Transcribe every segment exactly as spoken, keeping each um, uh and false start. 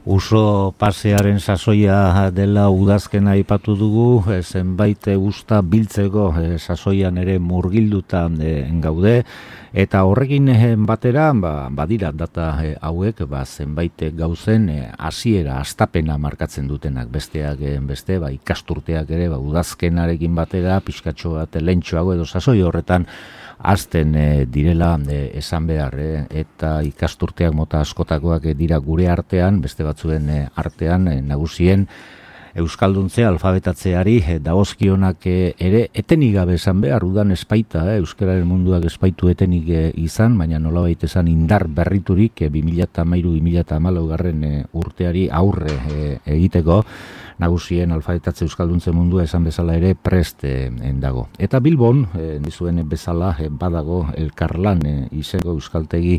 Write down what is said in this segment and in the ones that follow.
Uso pasearen sasoia dela udazkena aipatu dugu, e, zenbait usta biltzeko e, sasoian ere murgilduta e, gaude, eta horrekin e, batera, ba, badira data e, hauek, ba, zenbait gauzen hasiera, e, astapena markatzen dutenak, besteak e, beste, ba, ikasturteak ere, ba, udazkenarekin batera, pixkatxo bat lentxoago edo sasoi horretan, azten e, direla e, esan behar, e, eta ikasturteak mota askotakoak e, dira gure artean, beste batzuen e, artean, e, nagusien euskalduntzea, alfabetatzeari e, dagozkionak e, ere etenik gabe esan behar, udan espaita, e, euskararen munduak espaitu etenik e, izan, baina nolabait esan indar berriturik e, bi mila hamairu bi mila hamalau garren e, urteari aurre e, egiteko, nagusien alfabetatze euskalduntze mundua esan bezala ere prest e, dago. Eta Bilbon, e, dizuen bezala, e, badago Elkarlan e, izego euskaltegi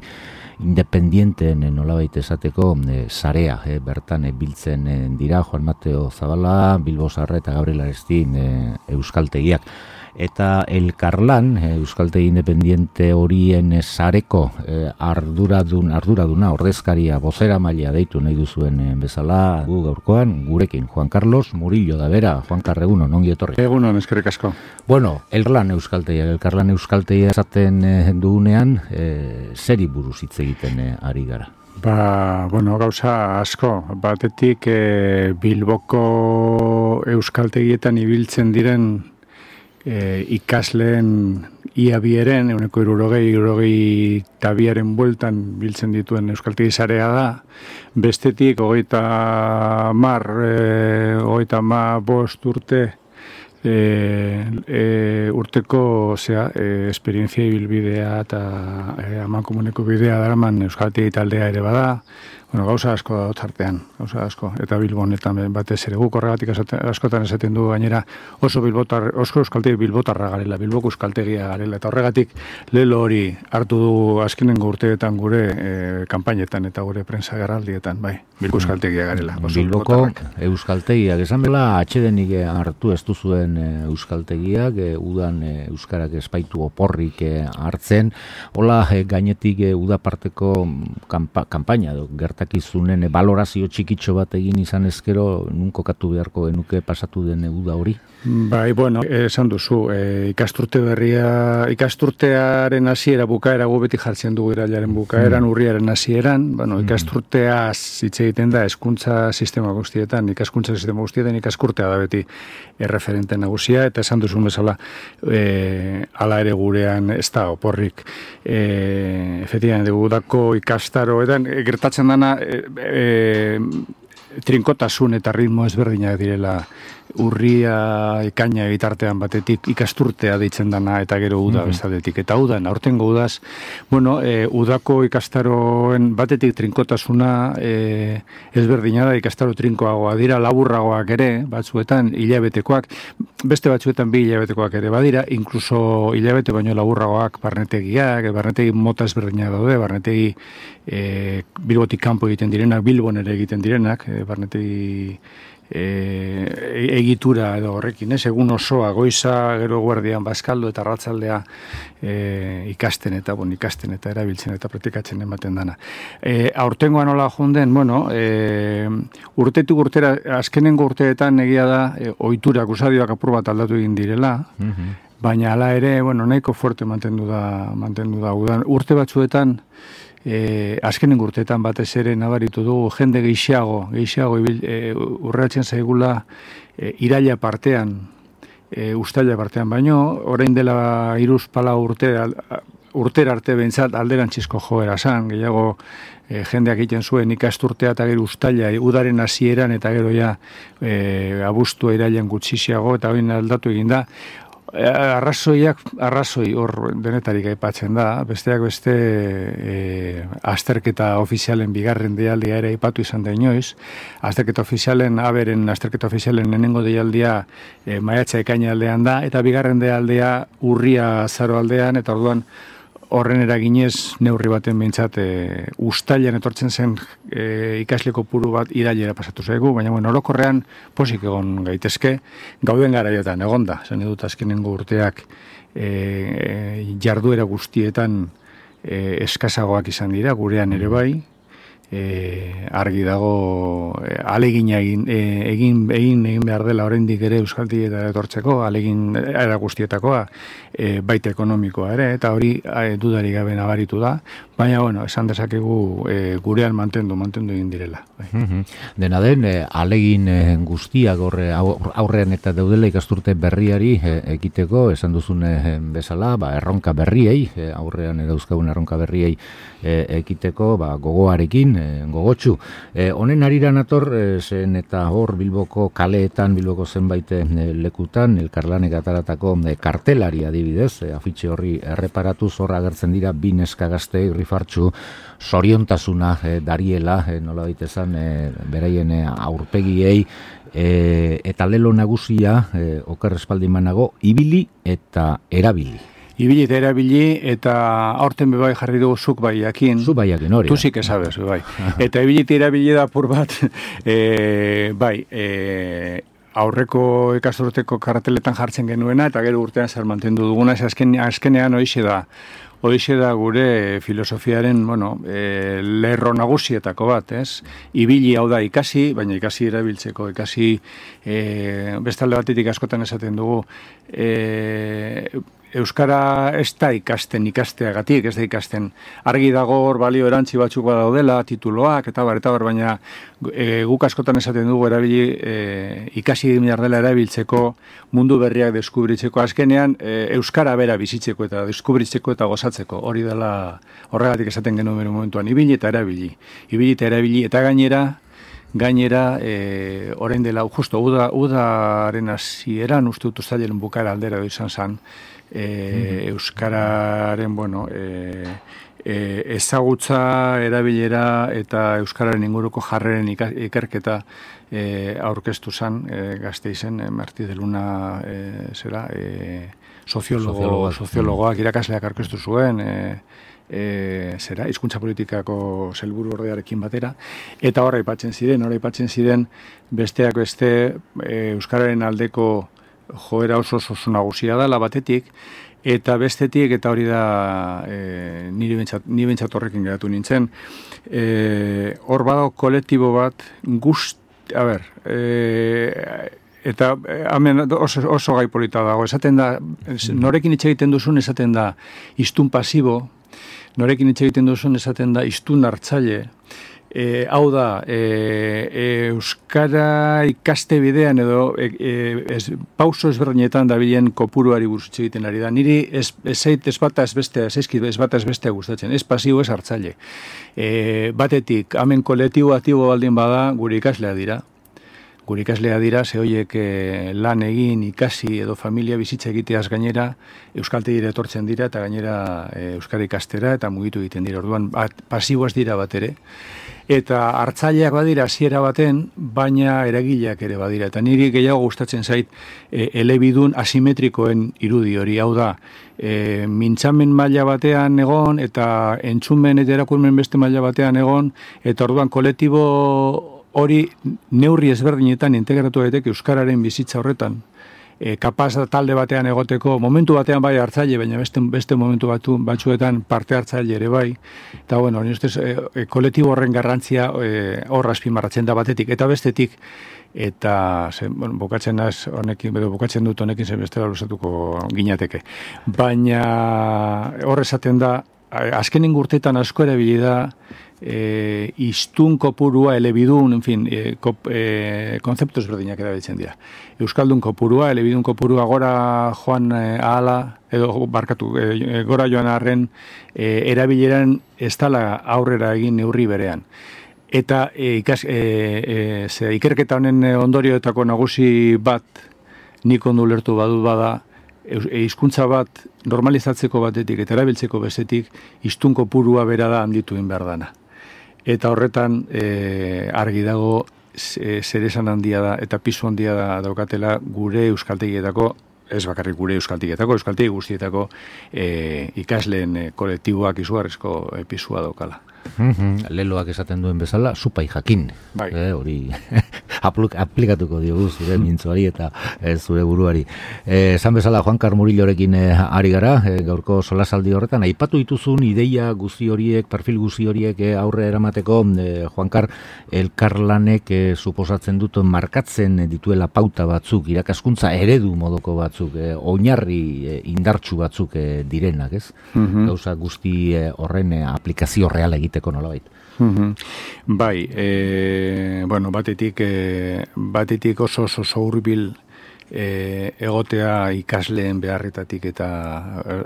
independienteen e, nolabait esateko e, sarea, e, bertan e, biltzen e, dira Juan Mateo Zabala, Bilbo Zarra eta Gabriel Arestin e, euskaltegiak. Eta Elkarlan, e, euskaltegi independiente horien e, sareko e, arduradun, arduraduna, ordezkaria, bozera maila deitu nahi duzuen e, bezala, gu gaurkoan, gurekin, Juan Carlos Murillo da bera. Juan Carreguno, nongi etorri. Egunon, eskerrik asko. Bueno, Elkarlan euskaltegia, Elkarlan euskaltegia esaten e, dugunean, e, zeri buruz hitz egiten e, ari gara. Ba, bueno, gauza asko. Batetik e, Bilboko euskaltegietan ibiltzen diren E, ikasleen ia bieren, euneko irurogei, irurogei tabiaren bueltan biltzen dituen euskaltegi sarea da. Bestetik, hogeita mar, e, hogeita ma bost urte, e, e, urteko, osea, e, esperientzia ibilbidea eta e, amankomuneko bidea daraman euskaltegi taldea ere bada. Bueno, gauza asko da tartean, gauza asko, eta Bilbonetan batez ere guk horregatik askotan esaten du gainera oso bilbotar, oso euskaltegi bilbotarra garela, Bilboko euskaltegia garela, eta horregatik lelo hori hartu du azkenengo urteetan gure e, kanpainetan eta gure prensa garraldietan, bai, Bilboko euskaltegia garela. Bilboko euskaltegiak, esan bela atxedenik hartu ez duzuen euskaltegiak, e, udan e, euskarak espaitu oporrik e, hartzen, hola e, gainetik e, udaparteko kampa, kampaina edo gertakizunen e, balorazio txikitxo bat egin izan ezkero, nun kokatu beharko genuke pasatu den uda hori? Bai, bueno, esan duzu, e, ikasturte berria, ikasturtearen hasiera bukaera gu beti jartzen dugu irailaren bukaeran, mm. urriaren hasieran, bueno, ikasturtea hitz egiten da hezkuntza sistema guztietan, ikaskuntza sistema guztietan ikaskurtea da beti erreferente nagusia, eta esan duzun bezala, e, ala ere gurean ez da oporrik, e, efectivamente, gudako ikastaroetan, e, gertatzen dana, e, e, trinkotasun eta ritmo ezberdinak direla, urria ekaina bitartean batetik ikasturtea deitzen dana eta gero uda mm-hmm. bestadetik. Eta udan, aurtengo udaz, bueno, e, udako ikastaroen batetik trinkotasuna e, ezberdina da, ikastaro trinkoagoa dira, laburragoak ere, batzuetan hilabetekoak, beste batzuetan bi hilabetekoak ere badira, inkluso hilabete baino laburragoak barnetegiak, barnetegi mota ezberdinak daude, barnetegi e, Bilbotik kanpo egiten direnak, Bilbon ere egiten direnak, e, barnetegi E, egitura edo horrekin, ez? Egun osoa, goiza, gero guardian, bazkaldo eta arratsaldea e, ikasten eta, bon, ikasten eta erabiltzen eta praktikatzen ematen dana. E, aurtengoa nola jonden, bueno, e, urtetik urtera, azkenengo urteetan egia da, e, ohiturak, usadioak apur bat aldatu egin direla, mm-hmm. baina hala ere, bueno, nahiko fuerte mantendu da, mantendu da, udan. Urte batzuetan, E, azkenen urteetan batez ere nabaritu dugu jende gehiago, gehiago e, urratzen zaigula e, iraila partean, e, ustaila partean, baino, orain dela iruz pala urte, al, urtera arte behintzat alderantzizko joera zan, gehiago e, jendeak egiten zuen ikasturtea eta gero ustaila, udaren hasieran eta gero ja e, abuztua irailan gutxixiago eta hori aldatu egin da. Arrazoiak, arrazoi hor denetarik aipatzen da, besteak beste e, azterketa ofizialen bigarren deialdia ere aipatu izan da inoiz, azterketa ofizialen, aberen azterketa ofizialen nenengo deialdia e, maiatza ekaina aldean da, eta bigarren deialdia urria azaro aldean, eta orduan horren eraginez neurri baten behintzat e, ustailan etortzen zen e, ikasle kopuru bat irailera pasatu zaigu, baina bueno, orokorrean posik egon gaitezke, gauden garaiotan egonda, zen edut azkenengo urteak e, jarduera guztietan e, eskazagoak izan dira, gurean ere bai, E, argi dago e, alegin egin, e, egin egin egin behar dela oraindik ere euskaltegietara etortzeko, alegin era guztietakoa, e, baita ekonomikoa ere, eta hori e, dudarik gabe nabaritu da, baina bueno, esan dezakegu e, gurean mantendu, mantendu egin direla. Bai. Dena den, e, alegin e, guztiak horre aurrean eta daudela ikasturte berriari e, ekiteko, esan duzun e, bezala, ba, erronka berriei, e, aurrean dauzkagun erronka berriei e, ekiteko, ba, gogoarekin, gogotsu. E, honen arira nator, e, zen eta hor Bilboko kaleetan, Bilboko zenbait e, lekutan, elkarlanek ataratako e, kartelari adibidez, e, afitxe horri erreparatuz horra agertzen dira bi neska gazte irrifartzu soriontasuna e, dariela, e, nola baitezan, e, beraien e, aurpegiei, e, eta lelo nagusia, e, oker espaldimanago, ibili eta erabili. Ibili eta erabili, eta aurten bebai jarri dugu zuk bai jakin. Zuk bai jakin hori. Tuzik esabez, bebai. Eta ibili eta erabili da apur bat, e, bai, e, aurreko ikasturteko karteletan jartzen genuena, eta gero urtean zer mantendu duguna, ez azken, azkenean hoixe da. Hoixe da gure filosofiaren, bueno, e, lerro nagusietako bat, ez? Ibili hau da ikasi, baina ikasi erabiltzeko, ikasi e, bestalde batetik askotan esaten dugu, e, Euskara ez da ikasten ikasteagatik, ez da ikasten. Argi dago hor balio erantzi batzuk badaudela, tituloak, eta bar, eta bar, baina e, guk askotan esaten dugu erabili, e, ikasi behar dela erabiltzeko, mundu berriak deskubritzeko, azkenean e, Euskara bera bizitzeko eta deskubritzeko eta gozatzeko. Hori dela horregatik esaten genuen bere momentuan, ibili eta erabili. Ibili eta erabili, eta gainera, gainera, e, orain dela, justo, uda, udaren hasieran uste dut uztailaren bukaera aldera izan zen, E, Euskararen, bueno, e, e, ezagutza, erabilera eta Euskararen inguruko jarreren ikerketa e, aurkeztu zen, e, Gasteizen, e, Marti de Luna, e, zera, e, soziologo, soziologoak irakasleak aurkeztu zuen, e, e, zera, hizkuntza politikako helburu ordearekin batera, eta horra aipatzen ziren, horra aipatzen ziren besteak beste e, Euskararen aldeko joera oso oso nagusia da, la batetik, eta bestetik, eta hori da e, niri bentsat, ni bentsat horrekin geratu nintzen, e, hor badago kolektibo bat, guzti, a ber, e, eta hemen oso, oso gai polita dago, esaten da, norekin hitz egiten duzun esaten da hiztun pasibo, norekin hitz egiten duzun esaten da hiztun hartzaile, E, hau da, e, e, Euskara ikaste bidean edo e, e, ez, pauso ezberdinetan dabilen kopuruari buruz egiten ari da. Niri ez, ez, ez bata ez bestea, ez ezkit, ez bata ez bestea gustatzen, ez pasibo ez hartzaile. E, batetik, hemen kolektibo aktibo baldin bada, gure ikaslea dira. Gure ikaslea dira, ze horiek e, lan egin, ikasi edo familia bizitza egiteaz gainera, euskaltegira etortzen dira eta gainera e, euskara ikastera eta mugitu egiten dira. Orduan, bat, pasiboaz dira bat ere. Eta hartzaileak badira hasiera baten, baina eragileak ere badira. Eta niri gehiago gustatzen zait e, elebidun asimetrikoen irudi hori. Hau da, e, mintzamen maila batean egon, eta entzumen eta erakurmen beste maila batean egon, eta orduan kolektibo hori neurri ezberdinetan integratu daiteke euskararen bizitza horretan. E, kapaz talde batean egoteko, momentu batean bai hartzaile, baina beste, beste momentu batu, batzuetan parte hartzaile ere bai. Eta bueno, ni ustez, e, e, kolektibo horren garrantzia e, hor azpimarratzen da batetik, eta bestetik, eta ze, bueno, bukatzen naz honekin, edo bukatzen dut honekin zen bestela luzatuko ginateke. Baina hor esaten da, azkenen urteetan asko erabili da, E, iztun kopurua, elebidun, en fin, e, kop, e, konzeptu ezberdinak erabiltzen dira. Euskaldun kopurua, elebidun kopurua gora joan e, ahala, edo barkatu, e, gora joan arren e, erabileran ez dala aurrera egin neurri berean. Eta e, ikas, e, e, ze, ikerketa honen ondorioetako nagusi bat nik ondo ulertu badu bada, hizkuntza bat normalizatzeko batetik eta erabiltzeko bestetik hiztun kopurua bera da handitu egin behar dana. Eta horretan e, argi dago e, zeresan handia da eta pisu handia da daukatela gure euskaltegietako, ez bakarrik gure euskaltegietako, euskaltegi guztietako e, ikasleen e, kolektiboak izugarrizko e, pisua daukala. Mm-hmm. Leloak esaten duen bezala, supai jakin. Bai. Eh, hori aplikatuko diogu zure mintzuari eta e, zure buruari. E, esan bezala Juankar Murillorekin e, ari gara, e, gaurko solasaldi horretan, aipatu dituzun ideia guzti horiek, perfil guzti horiek e, aurre eramateko, e, Juankar, elkarlanek e, suposatzen dut markatzen dituela pauta batzuk, irakaskuntza eredu modoko batzuk, e, oinarri e, indartsu batzuk e, direnak, ez? Mm-hmm. Gauza guzti e, horren e, aplikazio real egiteko nolabait. Mm-hmm. Bai, e, bueno, batetik, e, batetik oso oso hurbil E, egotea ikasleen beharretatik eta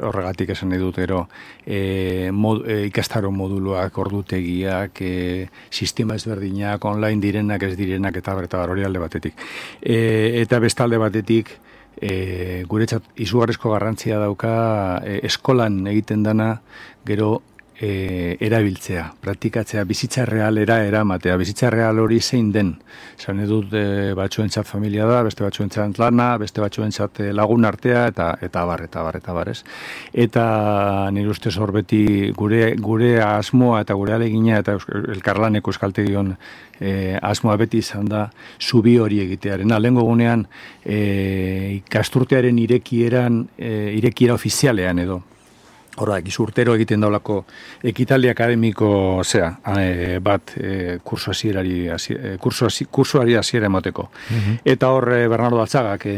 horregatik esan nahi dut ero e, mod, e, ikastaro moduluak, ordutegiak, e, sistema ezberdinak, online direnak, ez direnak eta berta hori alde batetik. E, eta bestalde batetik e, guretzat izugarrizko garrantzia dauka e, eskolan egiten dana gero E, erabiltzea, praktikatzea, bizitza realera eramatea, bizitza real hori zein den. Zan edut e, batzuentzat familia da, beste batzuentzat lana, beste batzuentzat lagun artea, eta eta bar, eta bar, eta bar, ez. Eta nire ustez hor beti gure, gure asmoa eta gure alegina eta elkarlaneko euskaltegion e, asmoa beti izan da zubi hori egitearen. Lehengo gunean e, ikasturtearen irekieran, e, irekiera ofizialean edo. Horra, urtero egiten daulako ekitaldi akademiko zea, e, bat e, kurso hasierari e, kurso hasi, kursoari hasiera emateko. Mm-hmm. Eta hor e, Bernardo Altzagak e,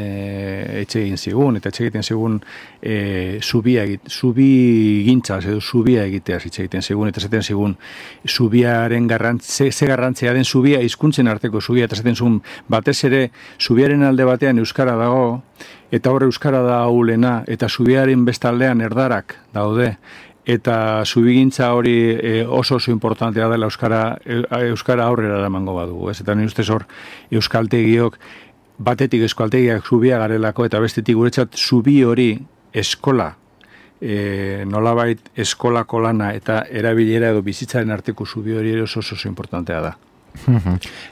etxe egin zigun, eta etxe egiten zigun e, zubia egit, zubi gintzaz edo zubia egitea etxe egiten zigun, eta zaten zigun zubiaren garrantzia, ze garrantzia den zubia, hizkuntzen arteko zubia, eta zaten zigun batez ere zubiaren alde batean euskara dago, eta hor euskara da ahulena, eta zubiaren bestaldean erdarak daude, eta zubigintza hori e, oso oso importantea dela euskara, e, euskara aurrera eramango badugu, ez? Eta nire ustez hor euskaltegiok, batetik euskaltegiak zubia garelako, eta bestetik guretzat zubi hori eskola, e, nolabait eskolako lana eta erabilera edo bizitzaren arteko zubi hori oso oso importantea da.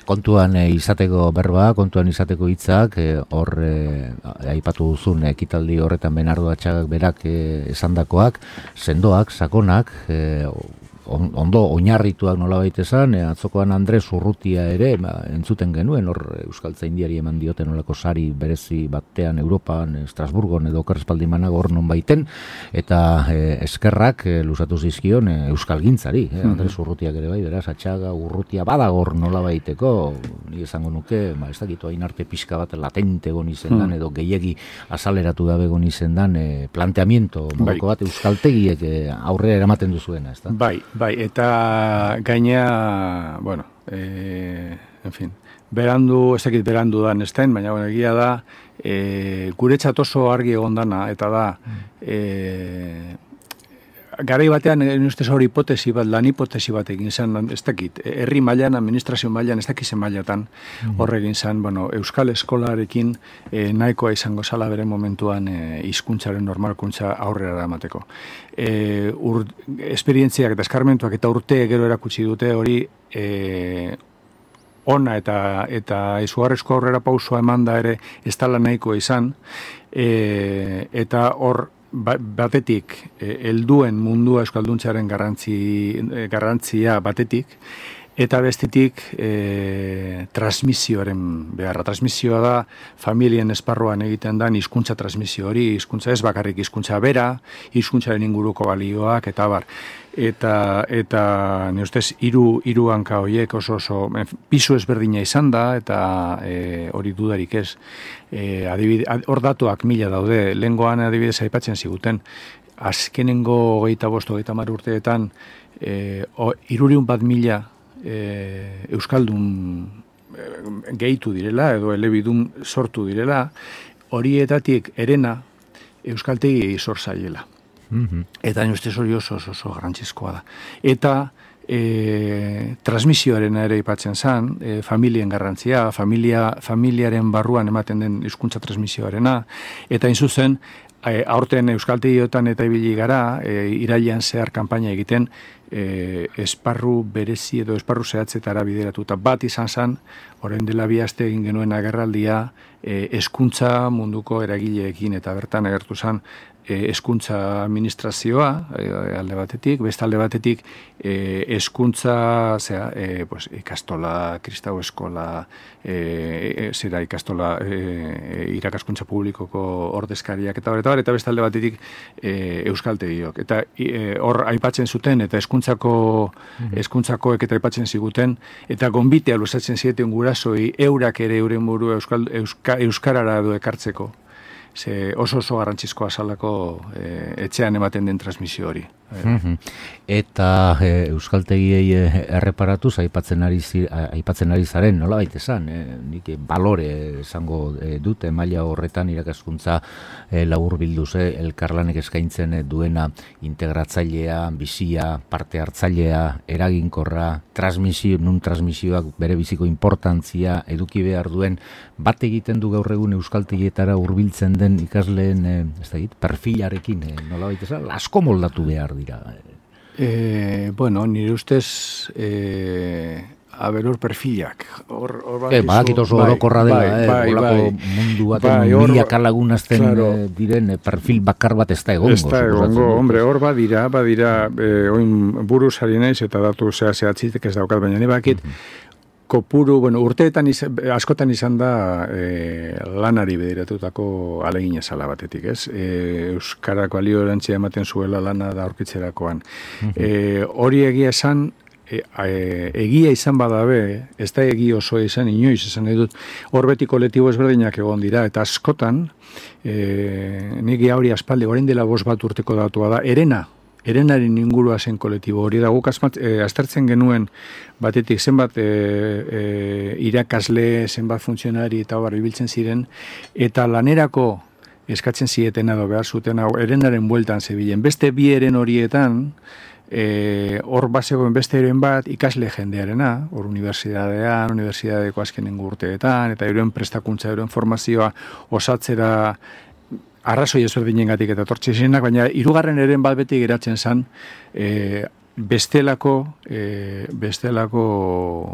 Kontuan e, izateko berba, kontuan izateko hitzak, e, hor e, aipatu duzun ekitaldi horretan Bernardo Altzagak berak e, esandakoak, sendoak, sakonak, e, ondo oinarrituak nolabait esan, e, atzokoan Andres Urrutia ere ba, entzuten genuen, hor euskaltzaindiari eman dioten olako sari berezi batean Europan, Estrasburgon edo Okerrespaldimanago hor non baiten, eta e, eskerrak e, luzatu zizkion e, euskalgintzari, e, Andres Urrutiak ere bai, beraz, Atxaga, Urrutia badagor nolabaiteko, ni esango nuke, ba, ez dakitu hain arte pixka bat latente egon izendan, mm. edo gehiegi azaleratu gabe egon izendan, e, planteamiento modoko bat euskaltegiek e, aurrera eramaten duzuena, ez da? Bai, bai, eta gaina, bueno, e, en fin, berandu, ez dakit berandu da nestain, baina bueno, egia da, e, guretzat oso argi egon dana, eta da, e, garai batean, ustez hori hipotesi bat, lan hipotesi bat egin zen, ez dakit, herri mailan, administrazio mailan, ez dakizen mailatan, horre egin zen, bueno, euskal eskolarekin e, nahikoa izango zala bere momentuan e, hizkuntzaren normalkuntza aurrera eramateko. E, ur, esperientziak eta eskarmentuak eta urte gero erakutsi dute hori e, ona eta eta izugarrizko aurrera pausua eman da ere ez dela nahikoa izan, e, eta hor batetik helduen mundua euskalduntzearen garrantzi, garrantzia batetik, eta bestetik e, transmisioaren beharra. Transmisioa da familien esparruan egiten da hizkuntza transmisio hori, hizkuntza ez bakarrik hizkuntza bera, hizkuntzaren inguruko balioak eta bar. Eta eta ni ustez hiru hiru hanka horiek oso oso pisu ezberdina izan da eta e, hori dudarik ez. E, adibide, hor datuak mila daude, lehengoan adibidez aipatzen ziguten, azkenengo hogeita bost, hogeita hamar urteetan e, hirurehun bat mila e, euskaldun e, gehitu direla edo elebidun sortu direla, horietatik herena euskaltegi zor zaiela. Mm-hmm. Eta ni ustez hori oso oso, oso garrantzizkoa da. Eta E, transmisioaren ere aipatzen zen, e, familien garrantzia, familia, familiaren barruan ematen den hizkuntza transmisioarena, eta hain zuzen, e, aurten euskaltegiotan eta ibili gara, e, irailean zehar kanpaina egiten, e, esparru berezi edo esparru zehatzetara bideratuta. Bat izan zen, orain dela bi aste egin genuen agerraldia, e, hezkuntza munduko eragileekin, eta bertan agertu zen, hezkuntza administrazioa e, alde batetik, beste alde batetik hezkuntza zera, e, pues, ikastola, kristau eskola, e, zera ikastola e, irakaskuntza publikoko ordezkariak eta hor, eta beste alde batetik e, euskaltegiok. Eta e, hor aipatzen zuten, eta hezkuntzako hezkuntzakoek eta aipatzen ziguten, eta gonbitea luzatzen zieten gurasoi eurak ere euren buru euskal, euska, euskarara edo ekartzeko. Ze oso oso garrantzizkoa salako e, etxean ematen den transmisio hori. E. Eta e, euskaltegiei erreparatuz aipatzen ari zi, aipatzen ari zaren, nola baita esan, e, nik balore esango e, dute maila horretan irakaskuntza e, labur bilduz, e, elkarlanek eskaintzen duena integratzailea, bizia, parte hartzailea, eraginkorra, transmisio, nun transmisioak bere biziko importantzia eduki behar duen, bat egiten du gaur egun euskaltegietara hurbiltzen den ikasleen e, ez da git, perfilarekin, e, nola baita esan, asko moldatu behar dira. E, bueno, nire ustez e, aberor perfilak. Hor, hor e, badakit oso orokorra dela, bai, bai, eh, olako bai, mundu baten bai, milaka lagunazten claro, diren perfil bakar bat ez da egongo. Ez da egongo, hombre, hor badira, badira, eh, oin buruz ari naiz eta datu zea zehatzitek ez daukat, baina ni bakit, uh-huh. Kopuru, bueno, urteetan izan, askotan izan da e, lanari bediratutako alegin ezala batetik, ez? E, Euskarak balio erantzia ematen zuela lana da aurkitzerakoan. Uh-huh. E, hori egia esan, e, e, egia izan badabe, ez da egi oso izan, inoiz izan edut, hor beti kolektibo ezberdinak egon dira, eta askotan, e, nigi hori aspaldi, orain dela bost bat urteko datua da, erena, erenaren ingurua zen kolektibo hori da, guk e, aztertzen genuen batetik zenbat e, e, irakasle, zenbat funtzionari eta hor biltzen ziren, eta lanerako eskatzen zieten edo behar zuten hau erenaren bueltan zebilen. Beste bi eren horietan, hor e, bazegoen beste eren bat ikasle jendearena, hor unibertsitatean, unibertsitateko azkenengo urteetan, eta euren prestakuntza, euren formazioa osatzera arrazoi ezberdinengatik eta tortxizenak, baina hirugarren eren bat beti geratzen zen e, bestelako e, bestelako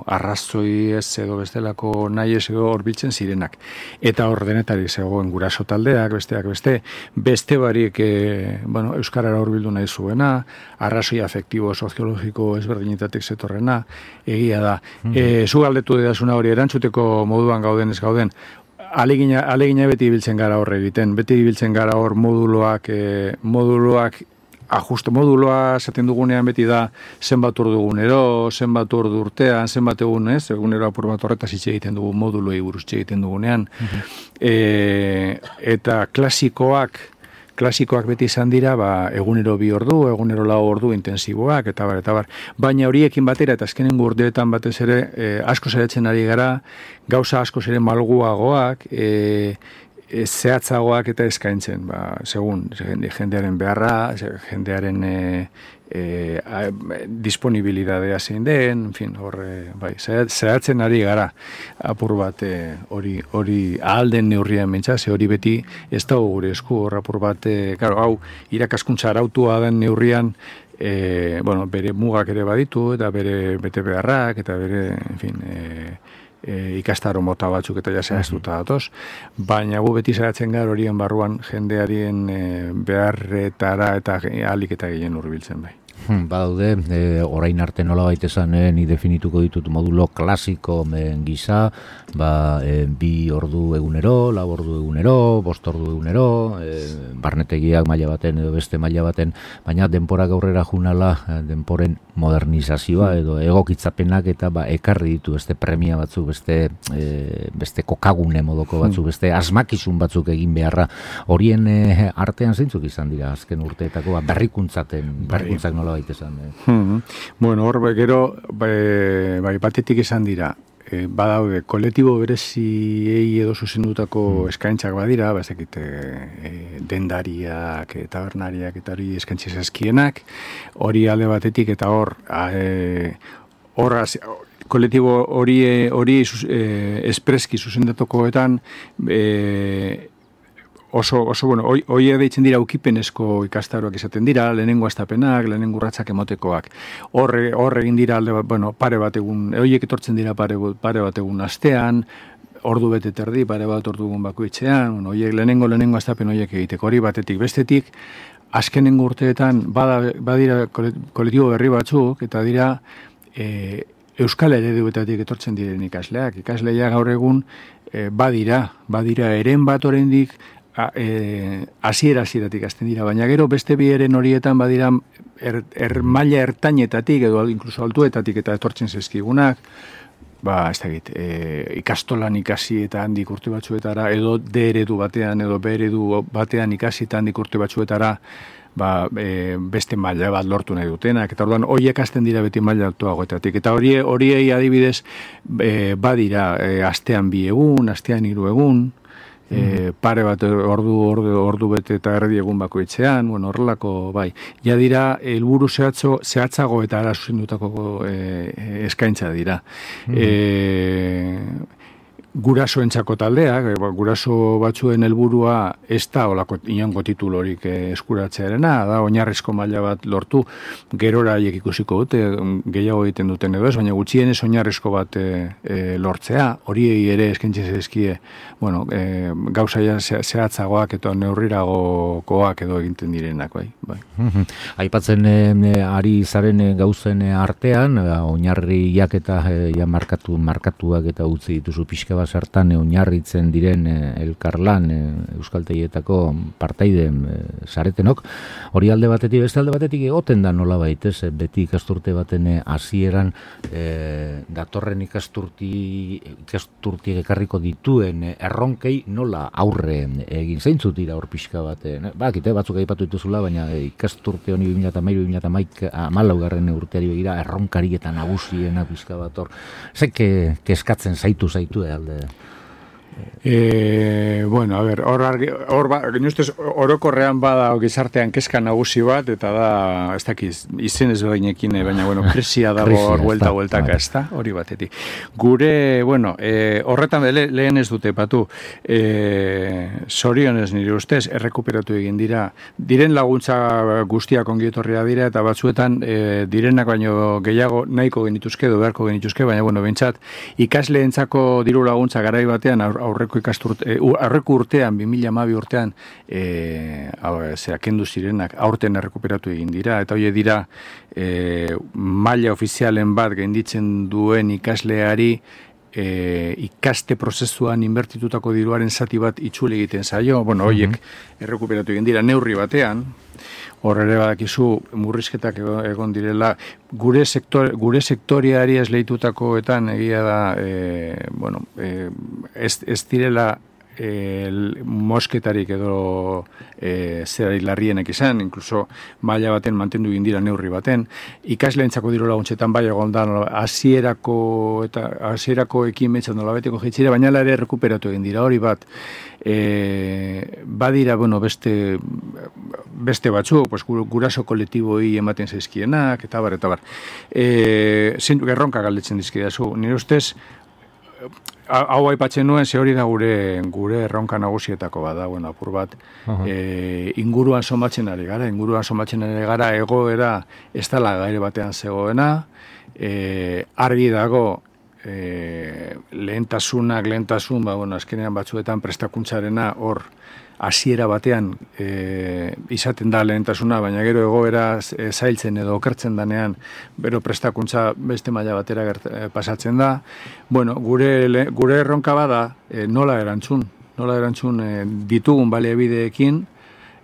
arrazoi ez edo bestelako nahi ez edo horbiltzen zirenak. Eta hor denetari zegoen guraso taldeak, besteak beste, beste barik e, bueno, euskarara horbildu nahi zuena, arrazoi afektibo, soziologiko ezberdinetatik zetorrena, egia da. Mm-hmm. E, zu galdetu dedazuna hori erantzuteko moduan gauden ez gauden, Alegina, alegina beti ibiltzen gara horre egiten, beti ibiltzen gara hor moduloak, e, moduloak, ajuste moduloa esaten dugunean beti da zenbat ordu egunero, zenbat ordu urtean, zenbat egun, ez, egunero apur bat horretaz hitz egiten dugu moduloi buruz hitz egiten dugunean. Uh-huh. e, eta klasikoak, klasikoak beti izan dira, ba, egunero bi ordu, egunero lau ordu intensiboak, eta bar, eta bar. Baina horiekin batera, eta azkenen urteetan batez ere, e, asko zeretzen ari gara, gauza asko zere malguagoak, e, e, zehatzagoak eta eskaintzen, ba, segun, jendearen beharra, jendearen e, e, a, disponibilidadea zein den, en fin, horre, bai, zehatzen ari gara, apur bat hori e, hori ahalden neurrian mentza, ze hori beti ez da gure esku, hor apur bat, e, claro, hau, irakaskuntza arautua den neurrian, e, bueno, bere mugak ere baditu, eta bere bete beharrak, eta bere, en fin, e, E, ikastaro mota batzuk eta jasehaztuta datoz, baina gu beti zeratzen gara horien barruan jendearien e, beharretara eta ahalik eta gehien hurbiltzen bai. Badaude, e, orain arte nola baitesan, e, ni definituko ditut modulo klasiko men gisa, ba, e, bi ordu egunero, lau ordu egunero, bost ordu egunero, e, barnetegiak maila baten edo beste maila baten, baina denpora gaurrera junala, denporen modernizazioa edo egokitzapenak eta ba, ekarri ditu beste premia batzuk, beste, e, beste kokagune modoko batzuk, beste asmakizun batzuk egin beharra, horien e, artean zeintzuk izan dira azken urteetako, ba, berrikuntzaten, berrikuntzak nola baitesan. Eh. Hmm. Bueno, hor, gero, bai, bai batetik izan dira, e, badaude, kolektibo bereziei edo zuzendutako hmm. eskaintzak badira, bazekit, e, dendariak, e, tabernariak, eta hori eskaintziz eskienak, hori alde batetik, eta hor, e, hor, kolektibo hori hori e, espreski zuzendatokoetan, e, oso, oso, bueno, hoi, hoi deitzen dira ukipenezko ikastaroak izaten dira, lehenengo astapenak, lehenengo urratsak emotekoak. Horre, horre egin dira, alde, bueno, pare bat egun, hoiek etortzen dira pare, pare bat egun astean, ordu bete terdi, pare bat ordu egun bakoitzean, bueno, hoiek lehenengo, lehenengo astapen hoiek egiteko, hori batetik, bestetik, azkenengo urteetan, bada, badira kolektibo berri batzuk, eta dira, e, Euskal ereduetatik etortzen diren ikasleak. Ikasleia gaur egun, e, badira, badira eren bat oraindik, hasiera hasieratik hasten dira, baina gero beste bi eren horietan badira er, er maila ertainetatik edo incluso altuetatik eta etortzen zezkigunak, ba, ez dakit, e, ikastolan ikasi eta handik urte batzuetara, edo D eredu batean, edo B eredu batean ikasi eta handik urte batzuetara, ba, e, beste maila bat lortu nahi dutenak, eta orduan horiek hasten dira beti maila altuagoetatik, eta hori horiei adibidez e, badira e, astean bi egun, astean hiru egun, E, pare bat ordu, ordu, ordu bete eta erdi egun bakoitzean, bueno, horrelako, bai. Ja dira, helburu zehatzo, zehatzago eta ara zuzendutako e, eskaintza dira. Mm. E, gurasoentzako taldeak, guraso batzuen helburua ez da olako inongo titulorik eskuratzearena, da oinarrizko maila bat lortu, gerora haiek ikusiko dute, gehiago egiten duten edo ez, baina gutxienez oinarrizko bat e, e, lortzea, horiei ere eskaintzen zaizkie, bueno, e, gauza ja zehatzagoak eta neurriragokoak edo egiten direnak, bai. bai. Aipatzen e, ari zaren gauzen artean, oinarriak eta e, ja markatu, markatuak eta utzi dituzu pixka bat sartan oinarritzen diren elkarlan euskaltegietako partaide saretenok, hori alde batetik, beste alde batetik egoten da nola baitez, beti ikasturte baten hasieran e, datorren ikasturti ikasturti ekarriko dituen erronkei nola aurre egin zeintzut dira hor pixka bat, bakite batzuk aipatu dituzula, baina ikasturte honi bi mila hamairu bi mila hamalaugarren urteari begira erronkari eta nagusiena pixka bat hor, zeke kezkatzen zaitu zaitu alde. E, bueno, a ver, hor argi, hor ba, ustez, orokorrean bada gizartean kezka nagusi bat, eta da, ez dakiz, izen ez beginekin, baina, bueno, krisia dago hor buelta bueltaka, ez da, hori batetik. Gure, bueno, e, horretan le, lehen ez dute patu, e, zorionez nire ustez, errekuperatu egin dira, diren laguntza guztiak ongietorria dira, eta batzuetan, e, direnak baino gehiago nahiko genituzke, edo beharko genituzke, baina, bueno, bentsat, ikasleentzako diru laguntza garai batean, aur, aurreko ikasturte, aurreko urtean, bi mila hamabi urtean, e, zera, kendu zirenak, aurten errekuperatu egin dira, eta hori dira, e, maila ofizialen bat gainditzen duen ikasleari, e, ikaste prozesuan inbertitutako diruaren zati bat itzuli egiten zaio, bueno, horiek mm-hmm. errekuperatu egin dira, neurri batean, hor ere badakizu murrizketak egon direla, gure sektor, gure sektoriari esleitutakoetan egia da, e, bueno, e, ez, ez direla e, mosketarik edo e, zerari larrienek izan, inkluso maila baten mantendu egin dira neurri baten, ikasleentzako diru laguntzetan bai egon da hasierako eta hasierako ekimetzen nolabeteko jaitzira, baina ere rekuperatu egin dira hori bat. E, badira, bueno, beste beste batzu, pues, guraso kolektiboi ematen zaizkienak, eta bar, eta bar. E, zein gerronka galdetzen dizkidazu. Nire ustez, hau aipatzen nuen, ze hori da gure gure erronka nagusietako bada, bueno, apur bat, uh-huh. e, inguruan somatzen ari gara, inguruan somatzen ari gara, egoera ez dela gaire batean zegoena, e, argi dago, E, lehentasunak, lehentasun, ba, bueno, azkenean batzuetan prestakuntzarena hor hasiera batean e, izaten da lehentasuna, baina gero egoera e, zailtzen edo okertzen danean, bero prestakuntza beste maila batera gert, e, pasatzen da. Bueno, gure, le, gure erronka bada e, nola erantzun, nola erantzun e, ditugun baliabideekin,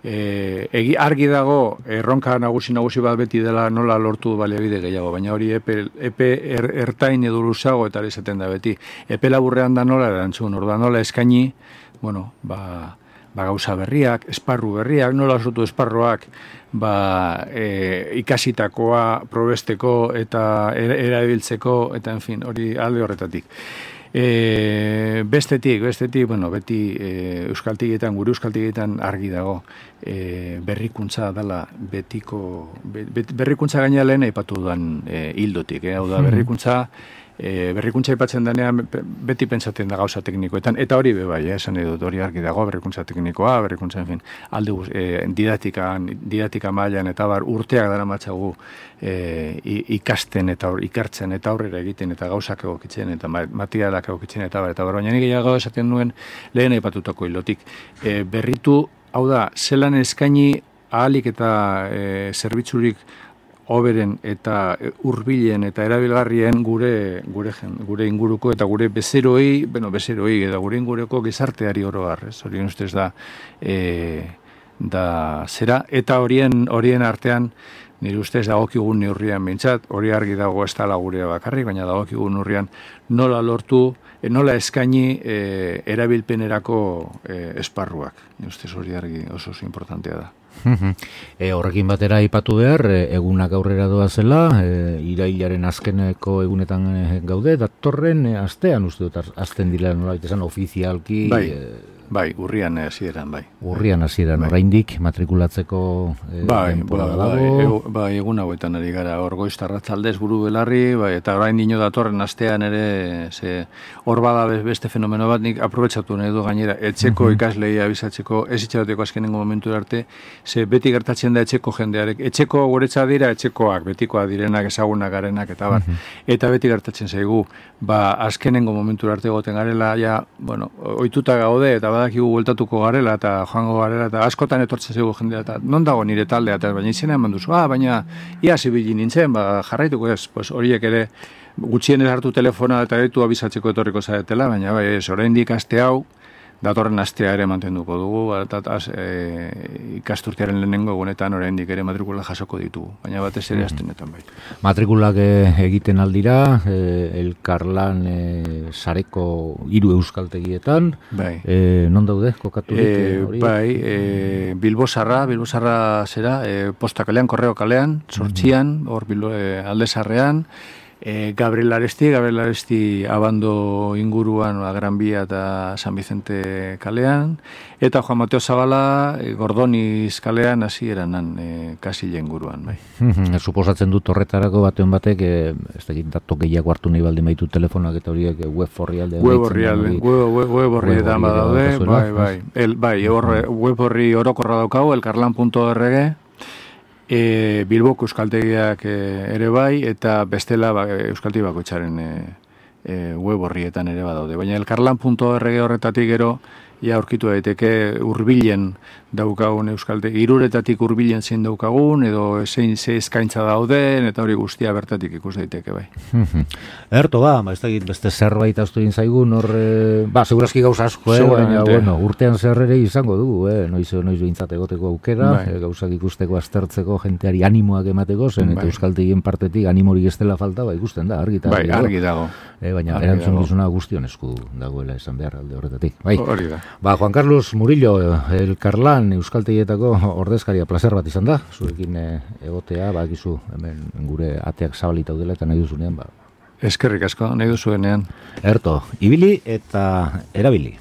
E, egi, argi dago erronka nagusi nagusi bat beti dela nola lortu baliabide gehiago, baina hori epe, epe er, ertain edo luzago eta izaten da beti. Epe laburrean da nola erantzun, orda nola eskaini, bueno, ba, ba gauza berriak, esparru berriak, nola sortu esparroak, ba, e, ikasitakoa probesteko eta erabiltzeko, eta en fin, hori alde horretatik. E, bestetik, bestetik, bueno, beti e, euskaltegietan, gure euskaltegietan argi dago e, berrikuntza dela betiko, be, berrikuntza gaina lehen aipatu dudan e, hildotik, eh? Hau da, berrikuntza e, berrikuntza aipatzen denean beti pentsatzen da gauza teknikoetan, eta hori be bai, eh, esan edut, hori argi dago, berrikuntza teknikoa, berrikuntza, en fin, alde e, didatikan, didatika mailan eta bar urteak dara matzagu e, ikasten eta or, ikertzen eta aurrera egiten eta gauzak egokitzen eta materialak egokitzen eta bar, eta bar, baina nik gehiago esaten nuen lehen aipatutako hilotik. E, berritu, hau da, zelan eskaini ahalik eta e, zerbitzurik hoberen eta hurbilen eta erabilgarrien gure gure gure inguruko eta gure bezeroei, bueno, bezeroei eta gure inguruko gizarteari oro har, ez? Horien ustez da e, da zera eta horien horien artean nire ustez dagokigun neurrian behintzat, hori argi dago ez dela gurea bakarrik, baina dagokigun neurrian nola lortu, e, nola eskaini e, erabilpenerako e, esparruak. Nire ustez hori argi oso oso importantea da. E, horrekin batera aipatu behar, e, egunak aurrera doa zela, e, irailaren azkeneko egunetan e, gaude, datorren e, astean uste dut, azten dira nola esan ofizialki... Bai, e, bai, urrian hasieran bai. Urrian hasieran, bai. Oraindik matrikulatzeko e, bai, bai, bai, egu, bai, egun hauetan ari gara, hor goiztarratzaldez buru belarri, bai, eta orain dino datorren astean ere, ze, hor bada beste fenomeno bat, nik aprobetsatu nahi du gainera, etxeko uh-huh. ikaslei abizatzeko, ez itxaroteko azkenengo momentu arte, ze beti gertatzen da etxeko jendearek, etxeko guretza dira etxekoak, betikoak direnak, ezagunak garenak, eta bar, uh-huh. eta beti gertatzen zaigu, ba, azkenengo momentu arte goten garela, ja, bueno, ohituta gaude, eta badakigu bueltatuko garela, eta joango garela, eta askotan etortzen zaigu jendea, eta non dago nire taldea, eta baina izena eman duzu, ah, baina ia zibili nintzen, ba, jarraituko ez, pues, horiek ere, gutxien hartu telefona eta ditu abizatzeko etorriko zaretela, baina bai, ez, oraindik aste hau, datorren astea ere mantenduko dugu, eta e, ikasturtearen lehenengo egunetan oraindik ere matrikula jasoko ditugu, baina batez ere astenetan bai. Matrikulak egiten aldira, e, elkarlan e, sareko hiru euskaltegietan, bai. E, non daude, kokaturik e, hori? Bai, e, Bilbosarra, Bilbosarra zera, e, posta kalean, korreo kalean, sortxian, hor mm-hmm. e, aldezarrean, E, Gabriel Aresti, Gabriel Aresti abando inguruan, Gran Bia eta San Vicente kalean, eta Juan Mateo Zabala e, Gordoniz kalean hasi eranan e, kasile inguruan. Bai. Suposatzen dut horretarako batean batek, e, ez da dato gehiago hartu nahi baldin baitu telefonak eta horiek web horrialde. Web horrialde, web horrietan badaude, bai, bai, el, bai, web horri orokorra daukau, elkarlan punto org, E, Bilboko euskaltegiak e, ere bai, eta bestela ba, euskaltegi bakoitzaren e, e, web horrietan ere badaude. Baina elkarlan punto org horretatik gero, ja aurkitu daiteke hurbilen daukagun euskaldegi, hiruretatik hurbilen zein daukagun, edo zein ze eskaintza dauden, eta hori guztia bertatik ikus daiteke bai. Erto ba, ba ez da beste zerbait aztu egin zaigun, hor, e, ba, segurazki gauza asko, eh, baina, bueno, urtean zerrere izango dugu, eh, noiz, noiz behintzat egoteko aukera, bai. e, gauzak ikusteko, aztertzeko, jenteari animoak emateko, zen, bai. Eta euskaltegien partetik animorik ez dela falta, ba, ikusten da, argi, bai, argi dago. E, baina erantzun gizuna guztion esku dagoela esan behar alde horretatik. Bai. Hori da. Ba, Juan Carlos Murillo, elkarlan euskaltegietako ordezkaria, placer bat izan da, zurekin egotea, ba, gizu, hemen gure ateak zabalita udela eta nahi duzunean, ba. Eskerrik asko, nahi duzuenean. Erto, ibili eta erabili.